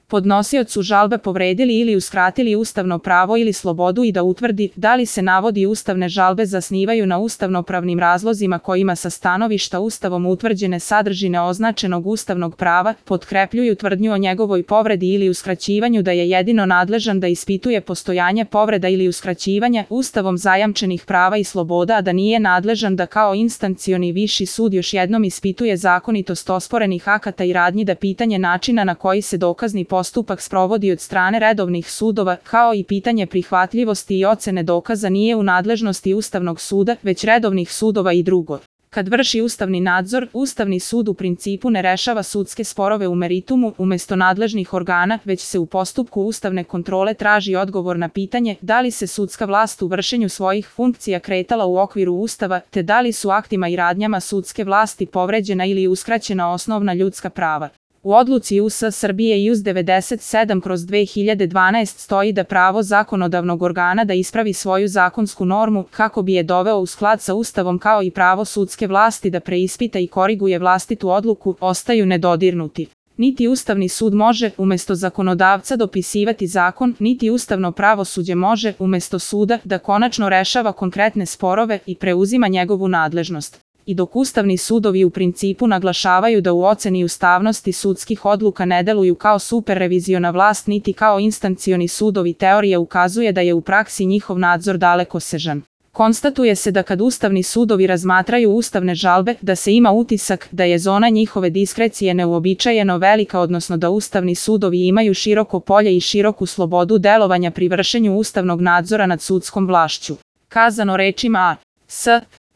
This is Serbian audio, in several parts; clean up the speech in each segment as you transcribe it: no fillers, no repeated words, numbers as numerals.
podnosiocu žalbe povredili ili uskratili ustavno pravo ili slobodu i da utvrdi da li se navodi ustavne žalbe zasnivaju na ustavnopravnim razlozima kojima sa stanovišta Ustavom utvrđene sadržine označenog ustavnog prava potkrepljuju tvrdnju o njegovoj povredi ili uskraćivanju, da je jedino nadležan da ispituje postojanje povreda ili uskraćivanja Ustavom zajamčenih prava i sloboda, a da nije nadležan da kao instancioni viši sud još jednom ispituje zakonitost osporenih akata i radnji, da pitanje načina na koji se dokazni postupak sprovodi od strane redovnih sudova, kao i pitanje prihvatljivosti i ocene dokaza nije u nadležnosti Ustavnog suda, već redovnih sudova. I drugo, kad vrši ustavni nadzor, Ustavni sud u principu ne rešava sudske sporove u meritumu umesto nadležnih organa, već se u postupku ustavne kontrole traži odgovor na pitanje da li se sudska vlast u vršenju svojih funkcija kretala u okviru Ustava, te da li su aktima i radnjama sudske vlasti povređena ili uskraćena osnovna ljudska prava. U odluci US Srbije IUS 97/2012 stoji da pravo zakonodavnog organa da ispravi svoju zakonsku normu kako bi je doveo u sklad sa Ustavom, kao i pravo sudske vlasti da preispita i koriguje vlastitu odluku, ostaju nedodirnuti. Niti Ustavni sud može umesto zakonodavca dopisivati zakon, niti ustavno pravosuđe može umesto suda da konačno rešava konkretne sporove i preuzima njegovu nadležnost. I dok ustavni sudovi u principu naglašavaju da u oceni ustavnosti sudskih odluka ne deluju kao superreviziona vlast niti kao instancioni sudovi, teorija ukazuje da je u praksi njihov nadzor dalekosežan. Konstatuje se da kad ustavni sudovi razmatraju ustavne žalbe, da se ima utisak da je zona njihove diskrecije neuobičajeno velika, odnosno da ustavni sudovi imaju široko polje i široku slobodu delovanja pri vršenju ustavnog nadzora nad sudskom vlašću. Kazano rečima A.S.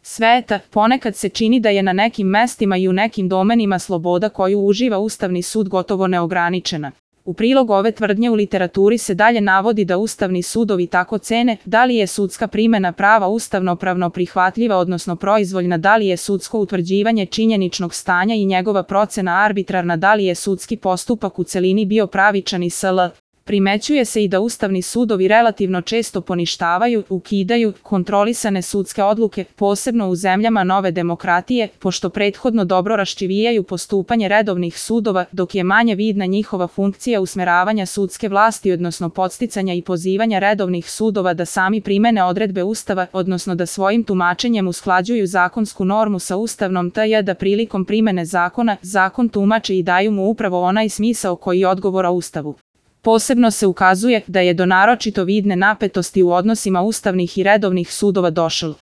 sveta, ponekad se čini da je na nekim mestima i u nekim domenima sloboda koju uživa Ustavni sud gotovo neograničena. U prilog ove tvrdnje u literaturi se dalje navodi da ustavni sudovi tako cene da li je sudska primena prava ustavnopravno prihvatljiva, odnosno proizvoljna, da li je sudsko utvrđivanje činjeničnog stanja i njegova procena arbitrarna, da li je sudski postupak u celini bio pravičan i sl. Primećuje se i da ustavni sudovi relativno često poništavaju, ukidaju kontrolisane sudske odluke, posebno u zemljama nove demokratije, pošto prethodno dobro raščivijaju postupanje redovnih sudova, dok je manje vidna njihova funkcija usmeravanja sudske vlasti, odnosno podsticanja i pozivanja redovnih sudova da sami primene odredbe Ustava, odnosno da svojim tumačenjem usklađuju zakonsku normu sa ustavnom, te da prilikom primene zakona, zakon tumače i daju mu upravo onaj smisao koji odgovara Ustavu. Posebno se ukazuje da je do naročito vidne napetosti u odnosima ustavnih i redovnih sudova došlo.